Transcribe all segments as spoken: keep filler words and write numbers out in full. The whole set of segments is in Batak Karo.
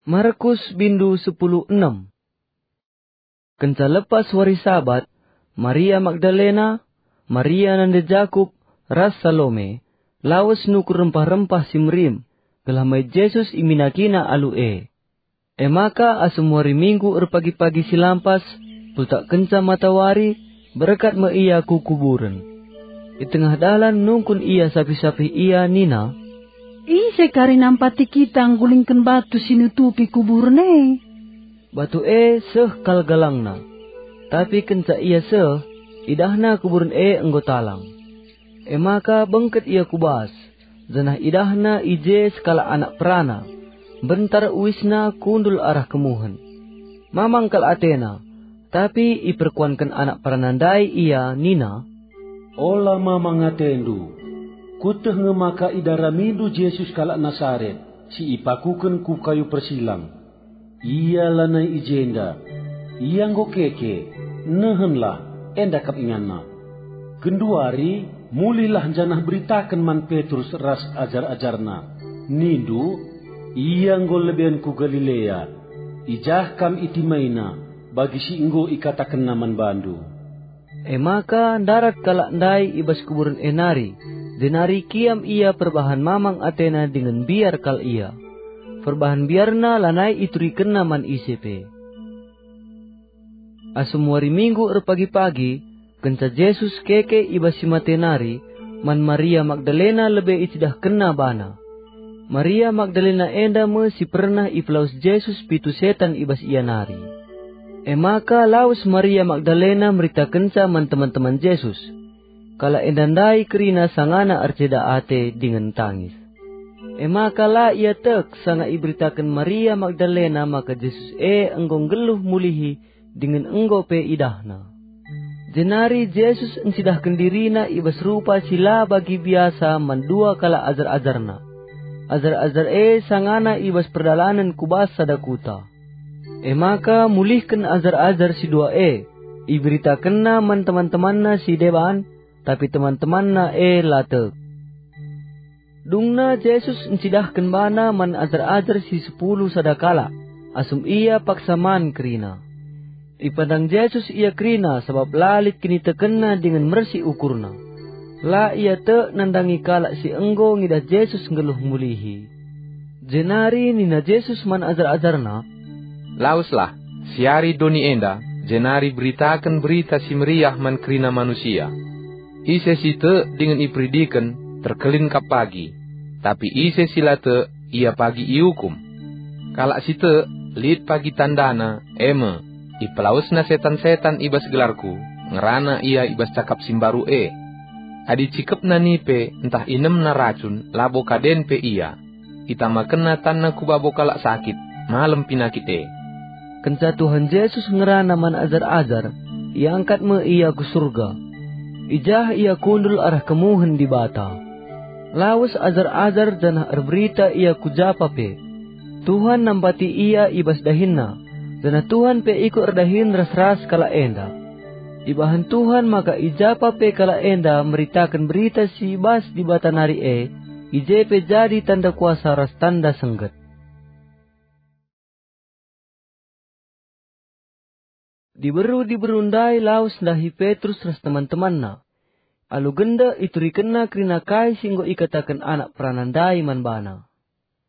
Markus bindu sepuluh enem. Kenca lepas wari Sabat, Maria Magdalena, Maria nande Jakup, ras Salome, lawes nukur rempah-rempah si merim, gelah mai Jesus iminakina alu e. E maka asum wari Minggu erpagi-pagi si lampas, pultakkenca matawari, berkat me ia ku kuburen. I tengah dalan nungkun ia sapih-sapih ia nina, "Ise kari nampati kita nggulingken batu si nutupi kuburen e?" Batu e seh kal galangna, tapi kenca ia seh, idahna kuburen e enggo talang. E maka bengket ia ku bas, janah idahna i je sekalak anak perana, mbentar uisna kundul arah kemuhen. Mamang kal atena, tapi iperkuanken anak perana ndai ia nina, "Ola mamang atendu. Kueteh nge maka idaramindu Jesus kalak Nasaret, si ipakuken ku kayu persilang. Ia lanai i jenda. Ia enggo keke. Nehenlah, enda kap inganna. Genduari, mulihlah janah beritaken man Petrus ras ajar-ajarna. Nindu, 'Ia enggo leben ku Galilea. I jah kam itimaina, bagi si enggo ikatakenna man bandu.'" E maka ndarat kalak ndai i bas kuburen e nari, jenari kiam ia perbahan mamang atena dingen mbiar kal ia. Perbahan mbiarna lanai iturikenna man ise pe. Asum wari Minggu erpagi-pagi, kenca Jesus keke i bas si mate nari, man Maria Magdalena lebe icidahkenna bana. Maria Magdalena enda me si pernah ipelawes Jesus pitu setan i bas ia nari. E maka lawes Maria Magdalena meritakenca man teman-teman Jesus. Kalak enda ndai kerina sangana erceda ate dingen tangis. E maka la ia tek sanga iberitaken Maria Magdalena maka Jesus e enggo nggeluh mulihi dingen enggo pe idahna. Jenari Jesus encidahken diriNa i bas rupa si la bagi biasa man dua kalak ajar-ajarNa. Ajar-ajar e sangana i bas perdalanen ku bas sada kuta. E maka mulihken ajar-ajar si dua e, iberitakenNa man teman-temanNa si deban, tapi teman-temanNa e la tek. Dungna Jesus encidahken bana man ajar-ajar si sepuluh sada kalak, asum ia paksa man kerina. Ipandang Jesus ia kerina sabap la lit kinitekenna dingen mersi ukurna. La ia tek nandangi kalak si enggo ngidah Jesus nggeluh mulihi. Jenari nina Jesus man ajar-ajarNa, "Laweslah, siari doni enda, jenari beritaken Berita Si Meriah man kerina manusia. Ise si tek dingen iperidiken, terkelin kap pagi, tapi ise si la tek, ia pagi iukum. Kalak si tek, lit pagi tandana, e me, ipelawesna setan-setan i bas gelarKu, ngerana ia i bas cakap si mbaru e. Adi cikepna nipe ntah inemna racun, labo kaden pe ia. Itamakenna tanna ku babo kalak sakit, malem pinakit e." Kenca Tuhan Jesus ngerana man ajar-ajar, iangkat me ia ku Surga. I jah ia kundul arah kemuhen Dibata. Lawes ajar-ajar janah erberita ia ku japa pe. Tuhan nampati ia i bas dahinna, janah Tuhan pe ikut erdahin ras-ras kalak enda. Ibahan Tuhan maka i japa pe kalak enda meritaken berita si bas Dibata nari e, i je pe jadi tanda kuasa ras tanda sengget. Diberu-diberu ndai lawes ndahi Petrus ras teman-temanna. Alu gendek iturikenna kerina kai si enggo ikataken anak perana ndai man bana.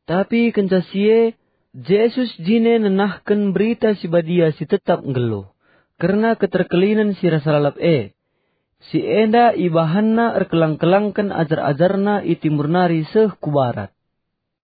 Tapi kenca si e, Jesus jine nenahken Berita Si Badia si tetap nggeluh, kerna keterkelinen si rasa lalap e. Si enda ibahanna erkelang-kelangken ajar-ajarNa i timur nari seh ku barat.